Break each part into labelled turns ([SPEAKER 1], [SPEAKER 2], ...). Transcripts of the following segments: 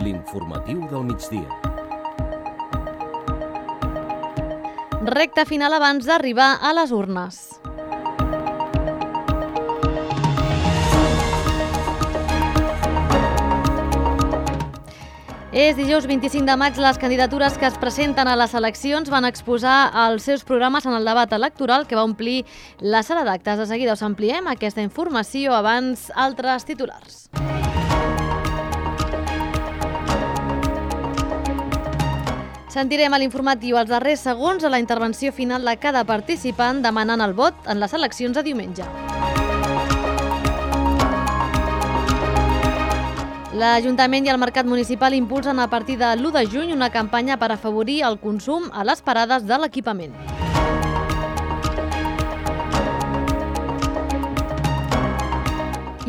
[SPEAKER 1] L'informatiu del migdia.
[SPEAKER 2] Recta final abans d'arribar a les urnes. És dijous 25 de maig. Les candidatures que es presenten a les eleccions van exposar els seus programes en el debat electoral que va omplir la sala d'actes. De seguida us ampliem aquesta informació, abans altres titulars. Sentirem a l'informatiu els darrers segons a la intervenció final de cada participant demanant el vot en les eleccions de diumenge. L'Ajuntament i el Mercat Municipal impulsen a partir de l'1 de juny una campanya per afavorir el consum a les parades de l'equipament.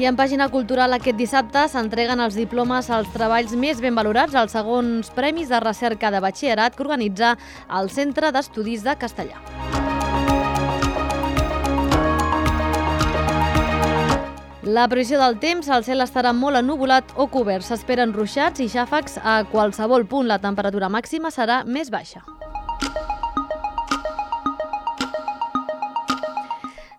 [SPEAKER 2] I en pàgina cultural aquest dissabte s'entreguen els diplomes als treballs més ben valorats als segons premis de recerca de batxillerat que organitza el Centre d'Estudis de Castellà. La previsió del temps: el cel estarà molt ennuvolat o cobert. S'esperen ruixats i xàfecs a qualsevol punt. La temperatura màxima serà més baixa.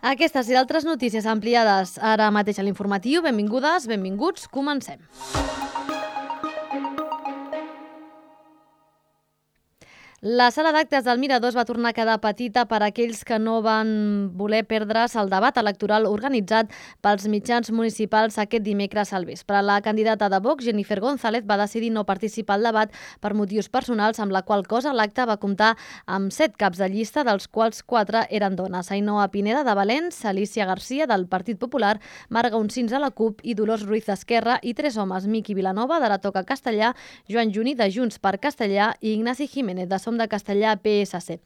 [SPEAKER 2] Aquestes i altres notícies ampliades ara mateix a l'informatiu. Benvingudes, benvinguts, comencem. La sala d'actes del Mirador es va tornar a quedar petita per a aquells que no van voler perdre's el debat electoral organitzat pels mitjans municipals aquest dimecres al vespre. La candidata de Vox, Jennifer González, va decidir no participar al debat per motius personals, amb la qual cosa l'acte va comptar amb 7 caps de llista, dels quals 4 eren dones: Ainhoa Pineda de Valens, Alicia Garcia del Partit Popular, Marga Uncins de la CUP i Dolors Ruiz d'Esquerra, i 3 homes: Miqui Vilanova de la Toca Castellà, Joan Juní de Junts per Castellà i Ignasi Jiménez de Som de Castellà PSC.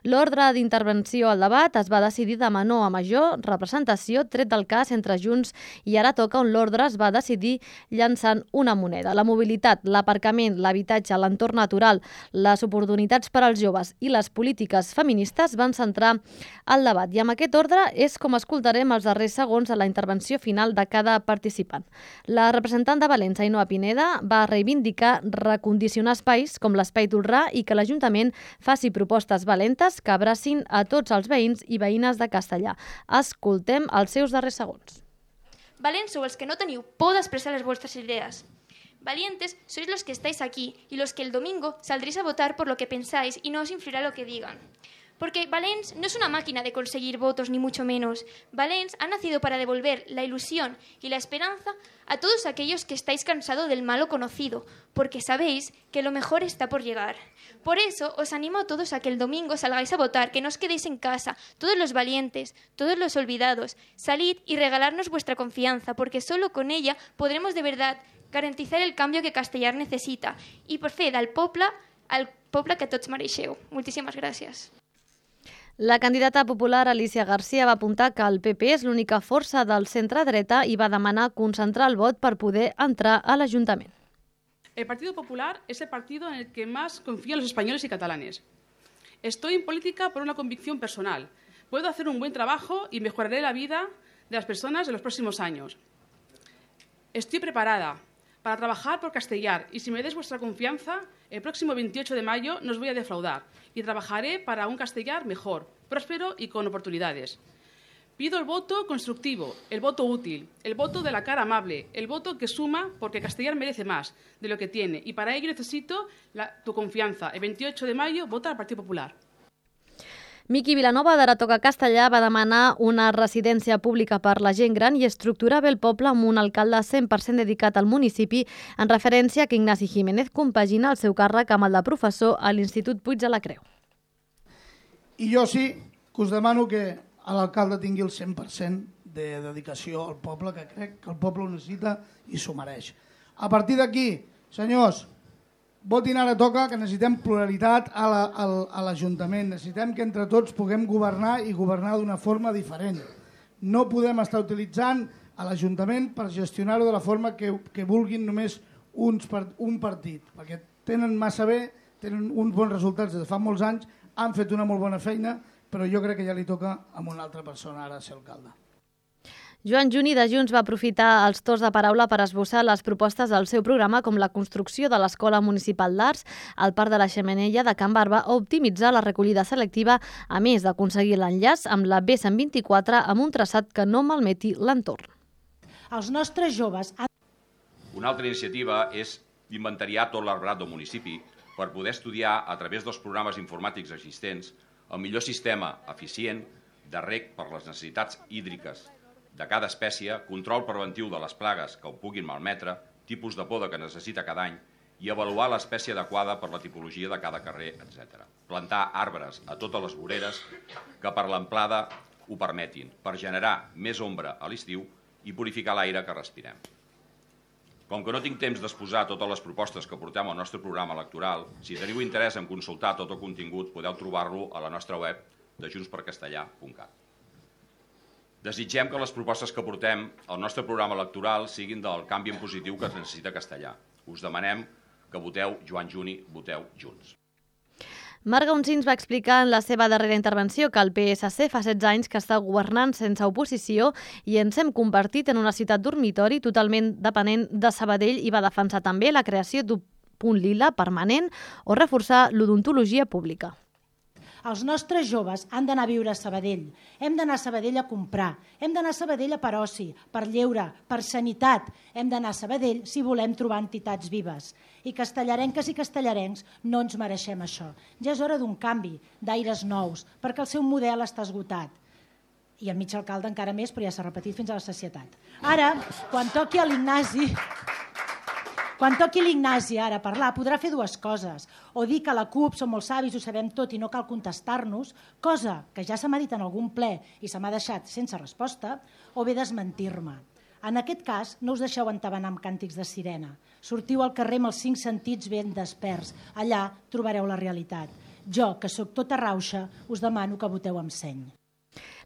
[SPEAKER 2] L'ordre d'intervenció al debat es va decidir de menor a major representació, tret del cas entre Junts i Ara Toca, on l'ordre es va decidir llançant una moneda. La mobilitat, l'aparcament, l'habitatge, l'entorn natural, les oportunitats per als joves i les polítiques feministes van centrar el debat. I amb aquest ordre és com escoltarem els darrers segons de la intervenció final de cada participant. La representant de Valens, Ainhoa Pineda, va reivindicar recondicionar espais com l'Espai Tolrà i que l'Ajuntament faci propostes valentes que abracin a tots els veïns i veïnes de Castellà. Escoltem els seus darrers segons.
[SPEAKER 3] Valents sou els que no teniu por d'expressar les vostres idees. Valientes sois los que estáis aquí y los que el domingo saldréis a votar por lo que pensáis y no os influirá lo que digan. Porque Valens no es una máquina de conseguir votos, ni mucho menos. Valens ha nacido para devolver la ilusión y la esperanza a todos aquellos que estáis cansados del malo conocido, porque sabéis que lo mejor está por llegar. Por eso os animo a todos a que el domingo salgáis a votar, que no os quedéis en casa, todos los valientes, todos los olvidados. Salid y regalarnos vuestra confianza, porque solo con ella podremos de verdad garantizar el cambio que Castellar necesita. Y por fe al poble que tots mereixeu. Moltíssimes gràcies.
[SPEAKER 2] La candidata popular Alicia Garcia va apuntar que el PP és l'única força del centre-dreta i va demanar concentrar el vot per poder entrar a l'Ajuntament.
[SPEAKER 4] El Partido Popular es el partido en el que más confían los españoles y catalanes. Estoy en política por una convicción personal. Puedo hacer un buen trabajo y mejoraré la vida de las personas en los próximos años. Estoy preparada para trabajar por Castellar y si me des vuestra confianza, el próximo 28 de mayo no os voy a defraudar y trabajaré para un Castellar mejor, próspero y con oportunidades. Pido el voto constructivo, el voto útil, el voto de la cara amable, el voto que suma porque Castellar merece más de lo que tiene y para ello necesito tu confianza. El 28 de mayo vota al Partido Popular.
[SPEAKER 2] Miqui Vilanova de la Toca Castellà va demanar una residència pública per la gent gran i estructurar bé el poble amb un alcalde 100% dedicat al municipi, en referència que Ignasi Jiménez compagina el seu càrrec amb el de professor a l'Institut Puig de la Creu.
[SPEAKER 5] I jo sí que us demano que l'alcalde tingui el 100% de dedicació al poble, que crec que el poble ho necessita i s'ho mereix. A partir d'aquí, senyors, votin Ara Toca, que necessitem pluralitat a l'Ajuntament. Necessitem que entre tots puguem governar i governar d'una forma diferent. No podem estar utilitzant a l'Ajuntament per gestionar-ho de la forma que vulguin només un partit, perquè tenen massa bé, tenen uns bons resultats des de fa molts anys, han fet una molt bona feina, però jo crec que ja li toca a una altra persona ara ser alcalde.
[SPEAKER 2] Joan Juni de Junts va aprofitar els torns de paraula per esbossar les propostes del seu programa, com la construcció de l'Escola Municipal d'Arts, el Parc de la Xemeneia de Can Barba o optimitzar la recollida selectiva, a més d'aconseguir l'enllaç amb la B124 amb un traçat que no malmeti l'entorn.
[SPEAKER 6] Els nostres joves...
[SPEAKER 7] Una altra iniciativa és inventariar tot l'arbrat del municipi per poder estudiar, a través dels programes informàtics existents, el millor sistema eficient de reg per les necessitats hídriques de cada espècie, control preventiu de les plagues que ho puguin malmetre, tipus de poda que necessita cada any i avaluar l'espècie adequada per la tipologia de cada carrer, etc. Plantar arbres a totes les voreres que per l'amplada ho permetin, per generar més ombra a l'estiu i purificar l'aire que respirem. Com que no tinc temps d'exposar totes les propostes que portem al nostre programa electoral, si teniu interès en consultar tot el contingut, podeu trobar-lo a la nostra web de juntspercastellà.cat. Desitgem que les propostes que portem al nostre programa electoral siguin del canvi en positiu que es necessita Castellà. Us demanem que voteu Joan Juni, voteu Junts.
[SPEAKER 2] Marc Gaunsins va explicar en la seva darrera intervenció que el PSC fa 16 anys que està governant sense oposició i ens hem convertit en una ciutat dormitori totalment depenent de Sabadell i va defensar també la creació d'un punt lila permanent o reforçar l'odontologia pública.
[SPEAKER 6] Els nostres joves han d'anar a viure a Sabadell. Hem d'anar a Sabadell a comprar. Hem d'anar a Sabadell per oci, per lleure, per sanitat. Hem d'anar a Sabadell si volem trobar entitats vives. I castellarenques i castellarencs no ens mereixem això. Ja és hora d'un canvi, d'aires nous, perquè el seu model està esgotat. I el mig alcalde encara més, però ja s'ha repetit fins a la sacietat. Ara, quan toqui l'Ignasi ara a parlar, podrà fer dues coses. O dir que la CUP som molt savis, ho sabem tot i no cal contestar-nos, cosa que ja se m'ha dit en algun ple i se m'ha deixat sense resposta, o bé desmentir-me. En aquest cas, no us deixeu entabanar amb càntics de sirena. Sortiu al carrer amb els 5 sentits ben desperts. Allà trobareu la realitat. Jo, que sóc tota rauxa, us demano que voteu amb seny.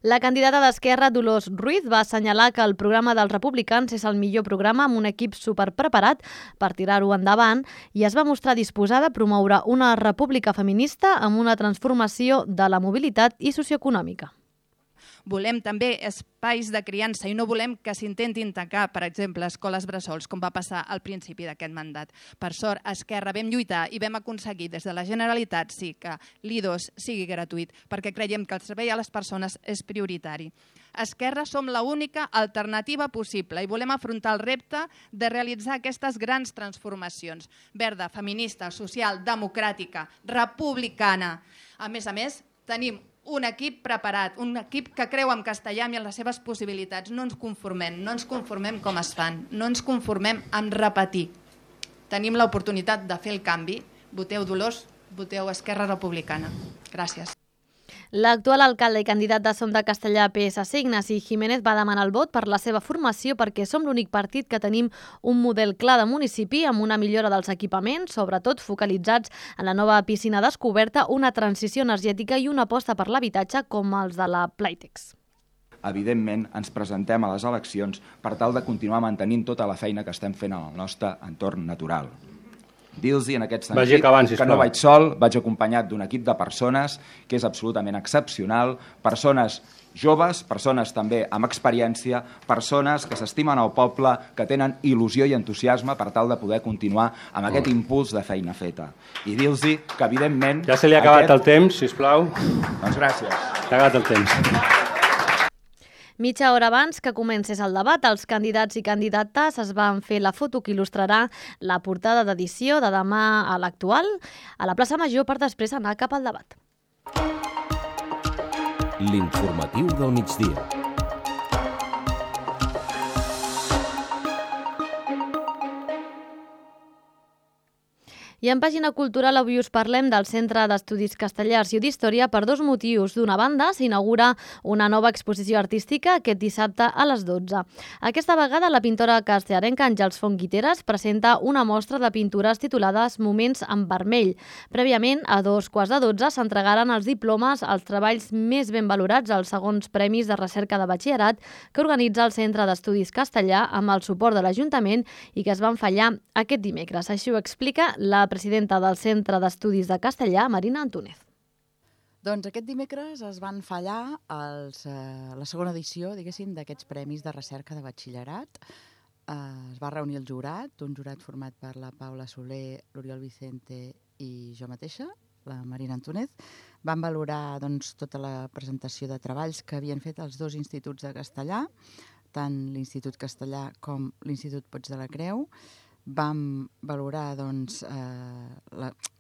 [SPEAKER 2] La candidata d'Esquerra, Dolors Ruiz, va assenyalar que el programa dels republicans és el millor programa amb un equip superpreparat per tirar-ho endavant i es va mostrar disposada a promoure una república feminista amb una transformació de la mobilitat i socioeconòmica.
[SPEAKER 8] Volem també espais de criança i no volem que s'intentin tancar, per exemple, escoles bressols, com va passar al principi d'aquest mandat. Per sort, a Esquerra vam lluitar i vam aconseguir des de la Generalitat que l'I2 sigui gratuït, perquè creiem que el servei a les persones és prioritari. A Esquerra som l'única alternativa possible i volem afrontar el repte de realitzar aquestes grans transformacions. Verda, feminista, social, democràtica, republicana. A més, tenim un equip preparat, un equip que creu en castellà i en les seves possibilitats. No ens conformem com es fan, no ens conformem en repetir. Tenim l'oportunitat de fer el canvi. Voteu Dolors, voteu Esquerra Republicana. Gràcies.
[SPEAKER 2] L'actual alcalde i candidat de Som de Castellà PSC, Ignasi Jiménez, va demanar el vot per la seva formació perquè som l'únic partit que tenim un model clar de municipi amb una millora dels equipaments, sobretot focalitzats en la nova piscina descoberta, una transició energètica i una aposta per l'habitatge com els de la Playtex.
[SPEAKER 9] Evidentment, ens presentem a les eleccions per tal de continuar mantenint tota la feina que estem fent en el nostre entorn natural. Dir-los en aquest sentit que no vaig sol, vaig acompanyat d'un equip de persones que és absolutament excepcional, persones joves, persones també amb experiència, persones que s'estimen al poble, que tenen il·lusió i entusiasme per tal de poder continuar amb aquest impuls de feina feta. I dir-los que, evidentment...
[SPEAKER 10] Ja se li ha acabat el temps, sisplau.
[SPEAKER 9] Doncs gràcies.
[SPEAKER 10] S'ha acabat el temps.
[SPEAKER 2] Mitja hora abans que comencés el debat, els candidats i candidates es van fer la foto que il·lustrarà la portada d'edició de demà a l'Actual a la plaça Major per després anar cap al debat.
[SPEAKER 1] L'informatiu del migdia.
[SPEAKER 2] I en pàgina cultural avui us parlem del Centre d'Estudis Castellars i d'Història per dos motius. D'una banda, s'inaugura una nova exposició artística aquest dissabte a les 12. Aquesta vegada la pintora castellarenca Àngels Font Guiteras presenta una mostra de pintures titulades Moments en vermell. Prèviament, a 2:15 s'entregaren els diplomes als treballs més ben valorats als segons premis de recerca de batxillerat que organitza el Centre d'Estudis Castellà amb el suport de l'Ajuntament i que es van fallar aquest dimecres. Així ho explica la presidenta del Centre d'Estudis de Castellà, Marina Antúnez.
[SPEAKER 11] Doncs aquest dimecres es van fallar la segona edició, diguéssim, d'aquests premis de recerca de batxillerat. Es va reunir el jurat, un jurat format per la Paula Soler, l'Oriol Vicente i jo mateixa, la Marina Antúnez. Van valorar tota la presentació de treballs que havien fet els dos instituts de castellà, tant l'Institut Castellà com l'Institut Pots de la Creu. Vam valorar,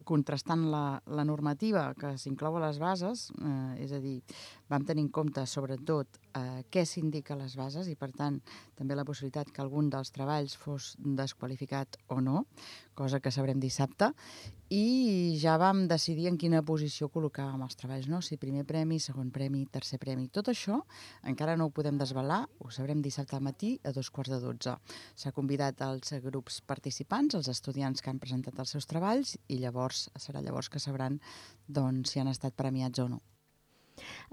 [SPEAKER 11] contrastant la normativa que s'inclou a les bases, és a dir, vam tenir en compte sobretot què s'indica a les bases i, per tant, també la possibilitat que algun dels treballs fos desqualificat o no, cosa que sabrem dissabte, i ja vam decidir en quina posició col·locàvem els treballs, no? Si primer premi, segon premi, tercer premi. Tot això encara no ho podem desvelar, ho sabrem dissabte al matí a 2:15. S'ha convidat els grups participants, els estudiants que han presentat els seus treballs, i serà llavors que sabran si han estat premiats o no.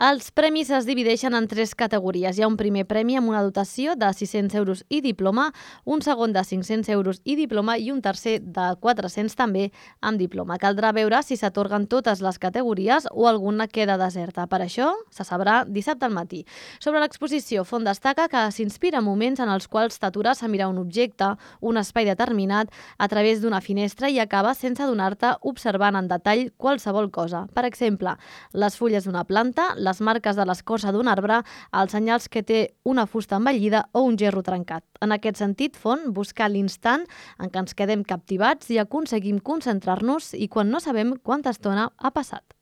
[SPEAKER 2] Els premis es divideixen en 3 categories. Hi ha un primer premi amb una dotació de 600 euros i diploma, un segon de 500 euros i diploma i un tercer de 400 també amb diploma. Caldrà veure si s'atorguen totes les categories o alguna queda deserta. Per això se sabrà dissabte al matí. Sobre l'exposició, Font destaca que s'inspira en moments en els quals t'atures a mirar un objecte, un espai determinat, a través d'una finestra i acaba sense adonar-te observant en detall qualsevol cosa. Per exemple, les fulles d'una planta, les marques de l'escorça d'un arbre, els senyals que té una fusta envellida o un gerro trencat. En aquest sentit, Font busca l'instant en què ens quedem captivats i aconseguim concentrar-nos i quan no sabem quanta estona ha passat.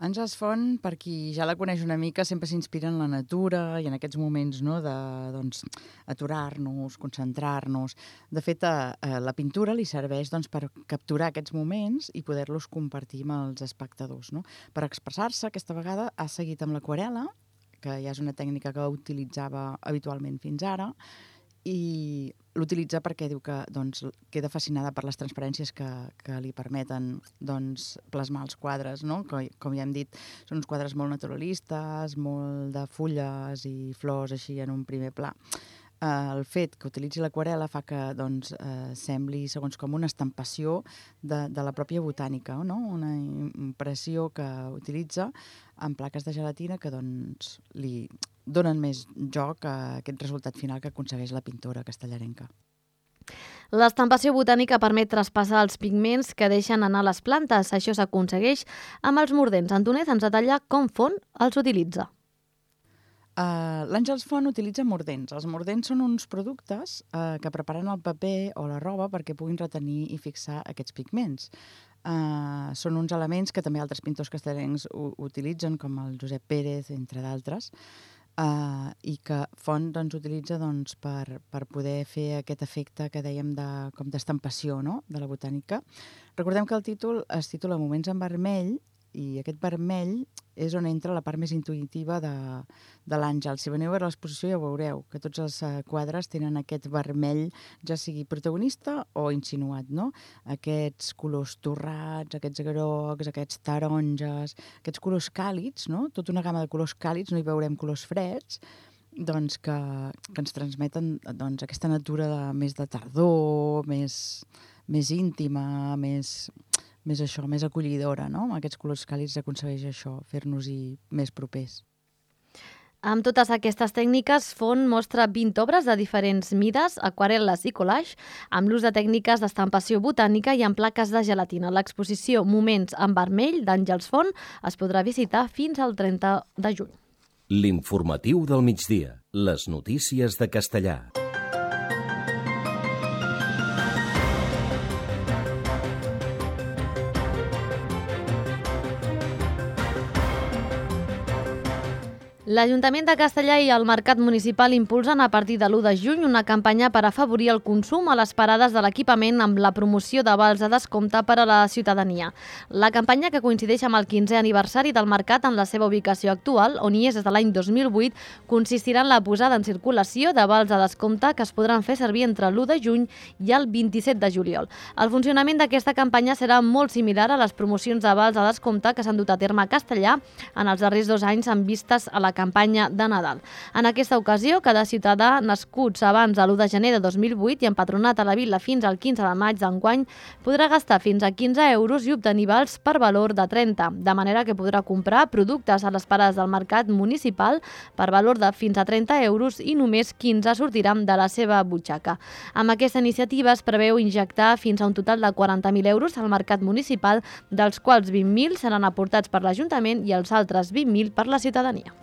[SPEAKER 11] Àngels Font, per qui ja la coneix una mica, sempre s'inspira en la natura i en aquests moments aturar-nos, concentrar-nos. De fet, la pintura li serveix per capturar aquests moments i poder-los compartir amb els espectadors. Per expressar-se, aquesta vegada ha seguit amb l'aquarel·la, que ja és una tècnica que utilitzava habitualment fins ara, i l'utilitza perquè diu que queda fascinada per les transparències que li permeten plasmar els quadres, no? Com ja hem dit, són uns quadres molt naturalistes, molt de fulles i flors així en un primer pla. El fet que utilitzi l'aquarel·la fa que sembli segons com una estampació de la pròpia botànica, no? Una impressió que utilitza en plaques de gelatina que li donen més joc a aquest resultat final que aconsegueix la pintora castellarenca.
[SPEAKER 2] L'estampació botànica permet traspassar els pigments que deixen anar les plantes. Això s'aconsegueix amb els mordents. Antúnez ens detalla com Font els utilitza.
[SPEAKER 11] L'Àngels Font utilitza mordents. Els mordents són uns productes que preparen el paper o la roba perquè puguin retenir i fixar aquests pigments. Són uns elements que també altres pintors castellencs utilitzen, com el Josep Pérez, entre d'altres, i que Font utilitza per poder fer aquest efecte que dèiem com d'estampació de la botànica. Recordem que el títol es titula Moments en vermell, i aquest vermell és on entra la part més intuïtiva de l'Àngel. Si veniu a veure l'exposició ja ho veureu, que tots els quadres tenen aquest vermell, ja sigui protagonista o insinuat, no? Aquests colors torrats, aquests grocs, aquests taronges, aquests colors càlids, no? Tota una gamma de colors càlids, no hi veurem colors freds, que ens transmeten aquesta natura més de tardor, més íntima, més acollidora, no? Aquests colors càlids aconsegueix això, fer-nos-hi més propers.
[SPEAKER 2] Amb totes aquestes tècniques, Font mostra 20 obres de diferents mides, aquarel·les i collage, amb l'ús de tècniques d'estampació botànica i amb plaques de gelatina. L'exposició Moments en vermell d'Àngels Font es podrà visitar fins al 30 de juny.
[SPEAKER 1] L'informatiu del migdia. Les notícies de Castellà.
[SPEAKER 2] L'Ajuntament de Castellà i el Mercat Municipal impulsen a partir de l'1 de juny una campanya per afavorir el consum a les parades de l'equipament amb la promoció de vals de descompte per a la ciutadania. La campanya, que coincideix amb el 15è aniversari del Mercat en la seva ubicació actual, on hi és des de l'any 2008, consistirà en la posada en circulació de vals de descompte que es podran fer servir entre l'1 de juny i el 27 de juliol. El funcionament d'aquesta campanya serà molt similar a les promocions de vals de descompte que s'han dut a terme a Castellà en els darrers 2 anys amb vistes a la la campanya de Nadal. En aquesta ocasió, cada ciutadà nascuts abans de l'1 de gener de 2008 i empadronat a la vila fins al 15 de maig d'enguany podrà gastar fins a 15 euros i obtenir vals per valor de 30, de manera que podrà comprar productes a les parades del mercat municipal per valor de fins a 30 euros i només 15 sortiran de la seva butxaca. Amb aquesta iniciativa es preveu injectar fins a un total de 40.000 euros al mercat municipal, dels quals 20.000 seran aportats per l'Ajuntament i els altres 20.000 per la ciutadania.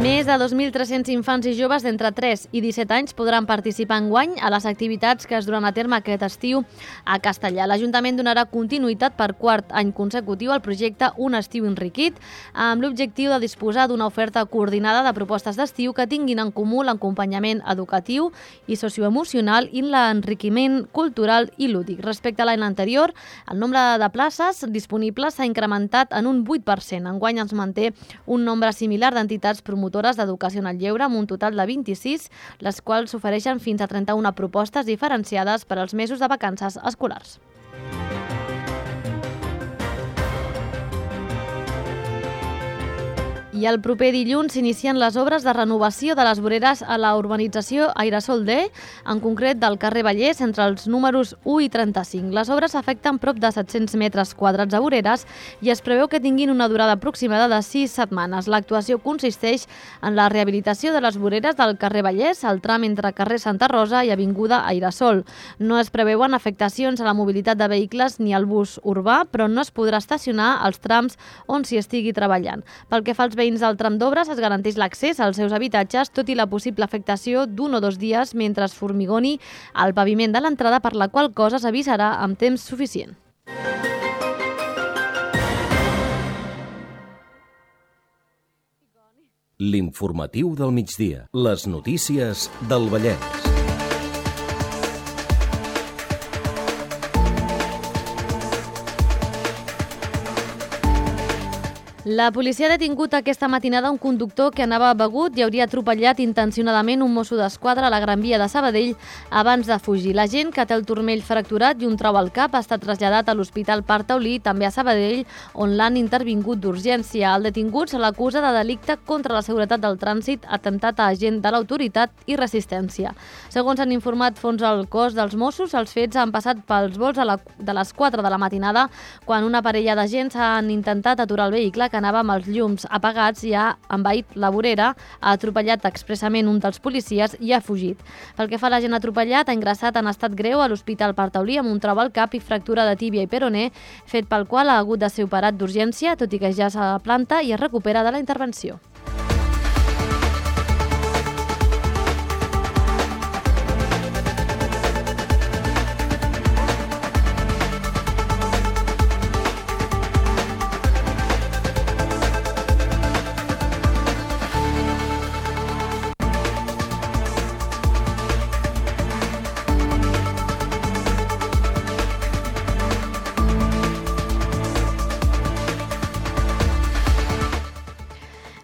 [SPEAKER 2] Més de 2.300 infants i joves d'entre 3 i 17 anys podran participar enguany a les activitats que es duran a terme aquest estiu a Castellà. L'Ajuntament donarà continuïtat per quart any consecutiu al projecte Un estiu enriquit, amb l'objectiu de disposar d'una oferta coordinada de propostes d'estiu que tinguin en comú l'acompanyament educatiu i socioemocional i l'enriquiment cultural i lúdic. Respecte a l'any anterior, el nombre de places disponibles s'ha incrementat en un 8%. Enguany es manté un nombre similar d'entitats promotores d'educació en el lleure amb un total de 26, les quals ofereixen fins a 31 propostes diferenciades per als mesos de vacances escolars. I el proper dilluns s'inicien les obres de renovació de les voreres a la urbanització Airasol D, en concret del carrer Vallès, entre els números 1 i 35. Les obres afecten prop de 700 metres quadrats de voreres i es preveu que tinguin una durada aproximada de 6 setmanes. L'actuació consisteix en la rehabilitació de les voreres del carrer Vallès, al tram entre carrer Santa Rosa i avinguda Airasol. No es preveuen afectacions a la mobilitat de vehicles ni al bus urbà, però no es podrà estacionar als trams on s'hi estigui treballant. Pel que fa als veïns del tram d'obres, es garanteix l'accés als seus habitatges, tot i la possible afectació d'1 o 2 dies mentre es formigoni el paviment de l'entrada, per la qual cosa s'avisarà amb temps suficient.
[SPEAKER 1] L'informatiu del migdia. Les notícies del Vallès.
[SPEAKER 2] La policia ha detingut aquesta matinada un conductor que anava begut i hauria atropellat intencionadament un mosso d'esquadra a la Gran Via de Sabadell abans de fugir. L'agent, que té el turmell fracturat i un trau al cap, ha estat traslladat a l'Hospital Parc Taulí, també a Sabadell, on l'han intervingut d'urgència. El detingut se l'acusa de delicte contra la seguretat del trànsit, atemptat a agent de l'autoritat i resistència. Segons han informat fons al cos dels Mossos, els fets han passat pels vols de les 4 de la matinada, quan una parella d'agents han intentat aturar el vehicle que anava amb els llums apagats i ha envaït la vorera, ha atropellat expressament un dels policies i ha fugit. Pel que fa a l'agent atropellat, ha ingressat en estat greu a l'Hospital Parc Taulí amb un trau al cap i fractura de tíbia i peroné, fet pel qual ha hagut de ser operat d'urgència, tot i que ja s'ha planta i es recupera de la intervenció.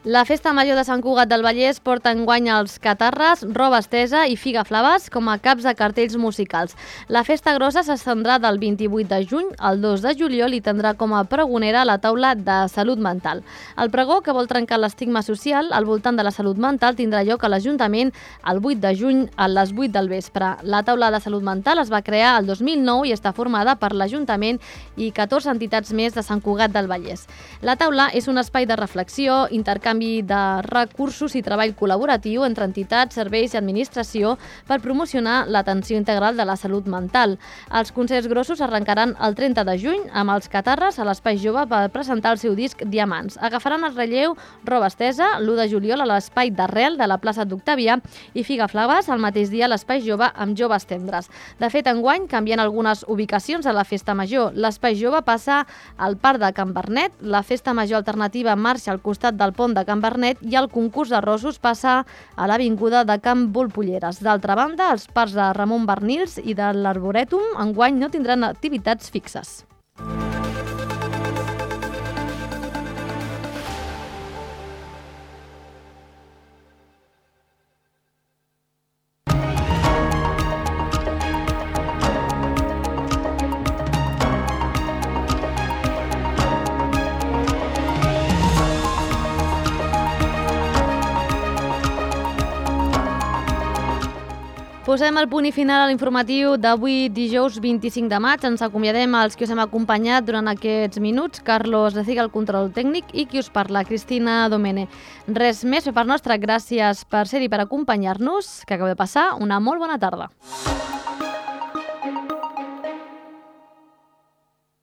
[SPEAKER 2] La Festa Major de Sant Cugat del Vallès porta enguany els Catarres, Roba Estesa i Figa Flaves com a caps de cartells musicals. La festa grossa s'estendrà del 28 de juny al 2 de juliol i tindrà com a pregonera la taula de salut mental. El pregó, que vol trencar l'estigma social al voltant de la salut mental, tindrà lloc a l'Ajuntament el 8 de juny a les 8 del vespre. La taula de salut mental es va crear el 2009 i està formada per l'Ajuntament i 14 entitats més de Sant Cugat del Vallès. La taula és un espai de reflexió, intercanvi de recursos i treball col·laboratiu entre entitats, serveis i administració per promocionar l'atenció integral de la salut mental. Els concerts grossos arrencaran el 30 de juny amb els Catarres a l'Espai Jove per presentar el seu disc Diamants. Agafaran el relleu Roba Estesa l'1 de juliol a l'Espai d'Arrel de la plaça d'Octavià i Figa Flaves el mateix dia a l'Espai Jove amb Joves Tendres. De fet, enguany canvien algunes ubicacions a la Festa Major. L'Espai Jove passa al Parc de Can Bernet, la Festa Major alternativa marxa al costat del pont de Can Bernet i el concurs de rossos passa a l'avinguda de Can Volpolleres. D'altra banda, els parcs de Ramon Bernils i de l'Arborètum enguany no tindran activitats fixes. Posem el punt i final a l'informatiu d'avui dijous 25 de maig. Ens acomiadem als qui us hem acompanyat durant aquests minuts. Carlos Leciga, el control tècnic, i qui us parla, Cristina Domene. Res més per part nostra. Gràcies per ser-hi, per acompanyar-nos. Que acabeu de passar una molt bona tarda.